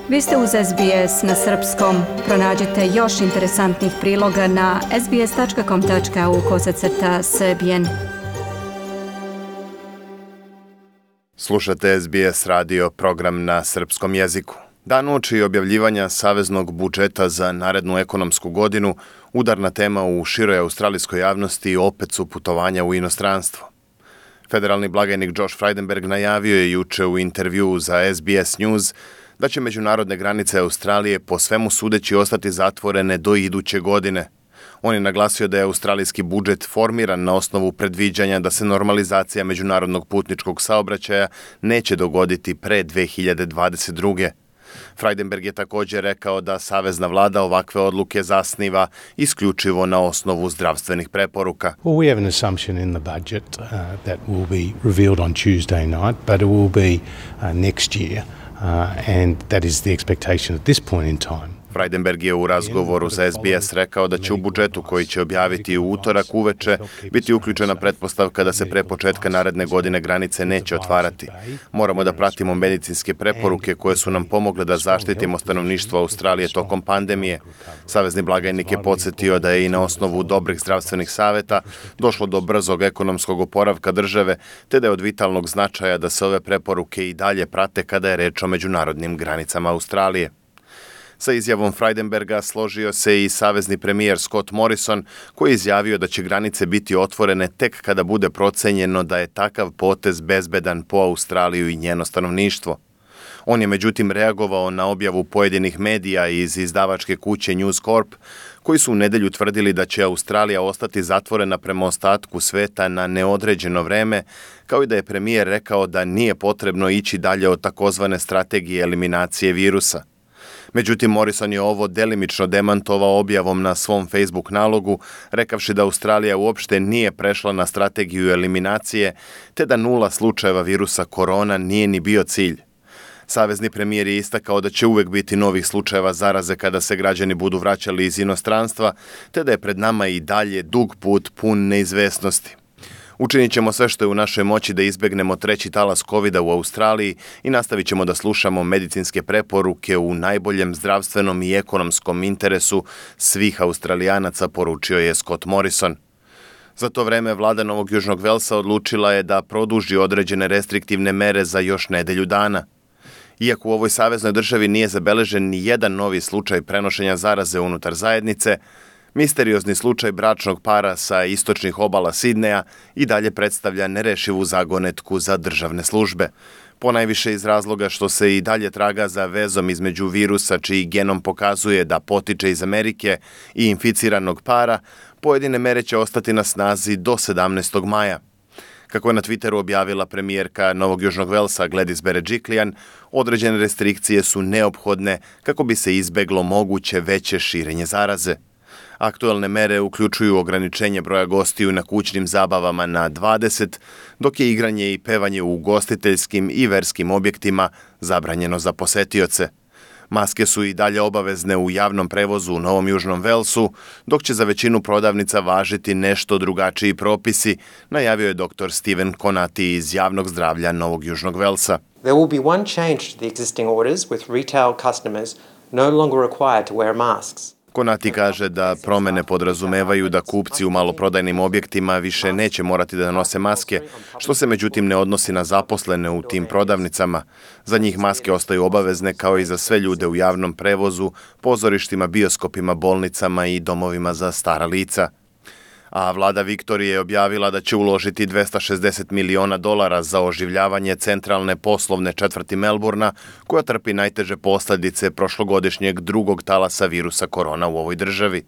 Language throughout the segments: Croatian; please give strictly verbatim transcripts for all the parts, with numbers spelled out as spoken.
Vi ste uz S B S na srpskom. Pronađite još interesantnih priloga na sbs.com tačka au kosacrta srbijen. Slušate S B S radio, program na srpskom jeziku. Dan uoči objavljivanja saveznog budžeta za narednu ekonomsku godinu, udarna tema u široj australijskoj javnosti opet su putovanja u inostranstvo. Federalni blagajnik Josh Frydenberg najavio je juče u intervjuu za S B S News da će međunarodne granice Australije po svemu sudeći ostati zatvorene do iduće godine. On je naglasio da je australijski budžet formiran na osnovu predviđanja da se normalizacija međunarodnog putničkog saobraćaja neće dogoditi pre dve hiljade dvadeset druge. Frydenberg je također rekao da savezna vlada ovakve odluke zasniva isključivo na osnovu zdravstvenih preporuka. Well, we have an assumption in the budget uh, that will be revealed on Tuesday night, but it will be uh, next year, uh, and that is the expectation at this point in time. Frydenberg je u razgovoru za S B S rekao da će u budžetu koji će objaviti u utorak uveče biti uključena pretpostavka da se pre početka naredne godine granice neće otvarati. Moramo da pratimo medicinske preporuke koje su nam pomogle da zaštitimo stanovništvo Australije tokom pandemije. Savezni blagajnik je podsjetio da je i na osnovu dobrih zdravstvenih saveta došlo do brzog ekonomskog oporavka države, te da je od vitalnog značaja da se ove preporuke i dalje prate kada je reč o međunarodnim granicama Australije. Sa izjavom Frydenberga složio se i savezni premijer Scott Morrison, koji je izjavio da će granice biti otvorene tek kada bude procenjeno da je takav potez bezbedan po Australiju i njeno stanovništvo. On je međutim reagovao na objavu pojedinih medija iz izdavačke kuće News Corp, koji su u nedelju tvrdili da će Australija ostati zatvorena prema ostatku sveta na neodređeno vreme, kao i da je premijer rekao da nije potrebno ići dalje od takozvane strategije eliminacije virusa. Međutim, Morrison je ovo delimično demantovao objavom na svom Facebook nalogu, rekavši da Australija uopšte nije prešla na strategiju eliminacije, te da nula slučajeva virusa korona nije ni bio cilj. Savezni premijer je istakao da će uvek biti novih slučajeva zaraze kada se građani budu vraćali iz inostranstva, te da je pred nama i dalje dug put pun neizvesnosti. Učinit ćemo sve što je u našoj moći da izbegnemo treći talas kovida u Australiji i nastavit ćemo da slušamo medicinske preporuke u najboljem zdravstvenom i ekonomskom interesu svih Australijanaca, poručio je Scott Morrison. Za to vreme vlada Novog Južnog Velsa odlučila je da produži određene restriktivne mere za još nedelju dana. Iako u ovoj saveznoj državi nije zabeležen ni jedan novi slučaj prenošenja zaraze unutar zajednice, misteriozni slučaj bračnog para sa istočnih obala Sidneja i dalje predstavlja nerešivu zagonetku za državne službe. Ponajviše iz razloga što se i dalje traga za vezom između virusa čiji genom pokazuje da potiče iz Amerike i inficiranog para, pojedine mere će ostati na snazi do sedamnaestog maja. Kako je na Twitteru objavila premijerka Novog Južnog Velsa Gladys Berejiklian, određene restrikcije su neophodne kako bi se izbeglo moguće veće širenje zaraze. Aktuelne mere uključuju ograničenje broja gostiju na kućnim zabavama na dvadeset, dok je igranje i pevanje u ugostiteljskim i verskim objektima zabranjeno za posetioce. Maske su i dalje obavezne u javnom prevozu u Novom Južnom Velsu, dok će za većinu prodavnica važiti nešto drugačiji propisi, najavio je doktor Steven Konati iz javnog zdravlja Novog Južnog Velsa. There will be one change to the existing orders with retail customers no longer required to wear masks. Konati kaže da promene podrazumevaju da kupci u maloprodajnim objektima više neće morati da nose maske, što se međutim ne odnosi na zaposlene u tim prodavnicama. Za njih maske ostaju obavezne kao i za sve ljude u javnom prevozu, pozorištima, bioskopima, bolnicama i domovima za stara lica. A vlada Viktorije je objavila da će uložiti dvesta šezdeset miliona dolara za oživljavanje centralne poslovne četvrti Melburna, koja trpi najteže posljedice prošlogodišnjeg drugog talasa virusa korona u ovoj državi.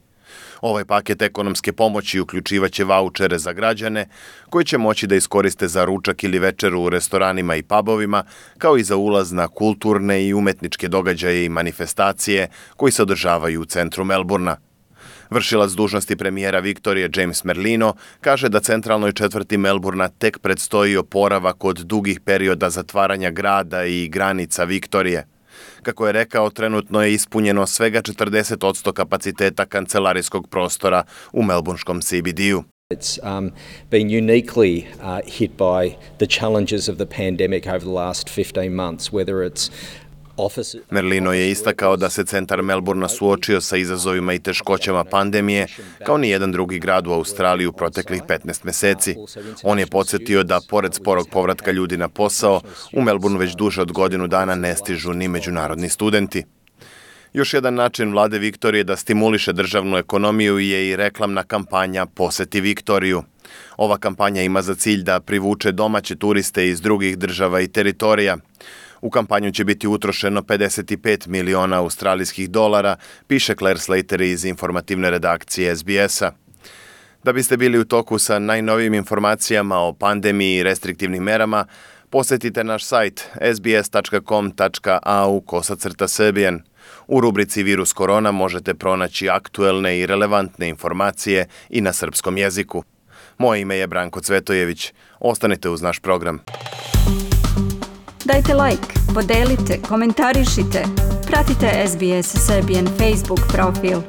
Ovaj paket ekonomske pomoći uključivaće vaučere za građane, koji će moći da iskoriste za ručak ili večeru u restoranima i pubovima, kao i za ulaz na kulturne i umetničke događaje i manifestacije koji se održavaju u centru Melburna. Vršilac dužnosti premijera Viktorije James Merlino kaže da centralnoj četvrti Melburna tek predstoji oporavak od dugih perioda zatvaranja grada i granica Viktorije. Kako je rekao, trenutno je ispunjeno svega četrdeset posto kapaciteta kancelarijskog prostora u melburnskom C B D-u. It's um, been uniquely uh, hit by the challenges of the pandemic over the last fifteen months, whether it's offices. Merlino je istakao da se centar Melbourna suočio sa izazovima i teškoćama pandemije, kao ni jedan drugi grad u Australiji u proteklih petnaest meseci. On je podsjetio da, pored sporog povratka ljudi na posao, u Melbournu već duže od godinu dana ne stižu ni međunarodni studenti. Još jedan način vlade Viktorije da stimuliše državnu ekonomiju je i reklamna kampanja Poseti Viktoriju. Ova kampanja ima za cilj da privuče domaće turiste iz drugih država i teritorija. U kampanju će biti utrošeno pedeset pet miliona australijskih dolara, piše Claire Slater iz informativne redakcije S B S-a. Da biste bili u toku sa najnovijim informacijama o pandemiji i restriktivnim merama, posjetite naš sajt s b s tačka com tačka a u kosacrta srbijan. U rubrici Virus korona možete pronaći aktuelne i relevantne informacije i na srpskom jeziku. Moje ime je Branko Cvetojević. Ostanite uz naš program. Dajte like, podelite, komentarišite. Pratite S B S Serbian Facebook profil.